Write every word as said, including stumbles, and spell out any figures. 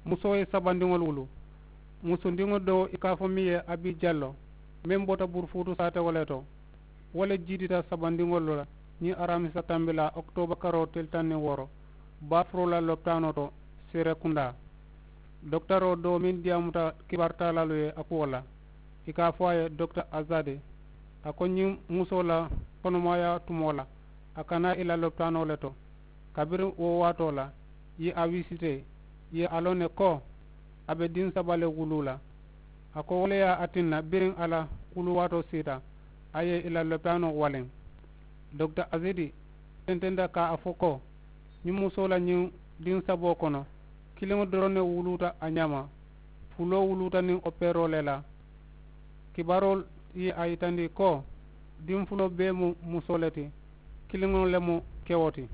Musoo ye sabandiŋolu wulu. Musundiŋo doo i ka a fo miŋ ye abi jallo, meŋ bota burufuutu saatewo le to, wo le jiitita sabandiŋolu la ñiŋ aramisa tambilaa okitooba karoo tili taŋ niŋ wooro, baafuroo la lopitaanoo to, seerekundaa. Dokitaroo doo meŋ diyaamuta kibaari taalaalu ye a kuwo la, i ka a fo a ye dokita azadi, a ko ñiŋ musoo la konomaayaa tumoo la, a kana i la lopitaanoo le to. Kabiriŋ wo waatoo la, i ye a wisitee, i ye a loŋ ne ko a be diŋ saba le wuluu la. A ko wo le ye a tinna biriŋ a la wuluwaatoo siita, a ye i la lopitaanoo waliŋ. Dokita azidi tententa ka a fo ko, ñiŋ musoo la ñiŋ diŋ saboo kono, kiliŋo doroŋ ne wuluuta a ñaama, fuloo wuluuta niŋ opeeroo le la. Kibaaroo ye a yitandi ko diŋ fuloo bee mu musoo le ti, kiliŋo le mu kewo ti.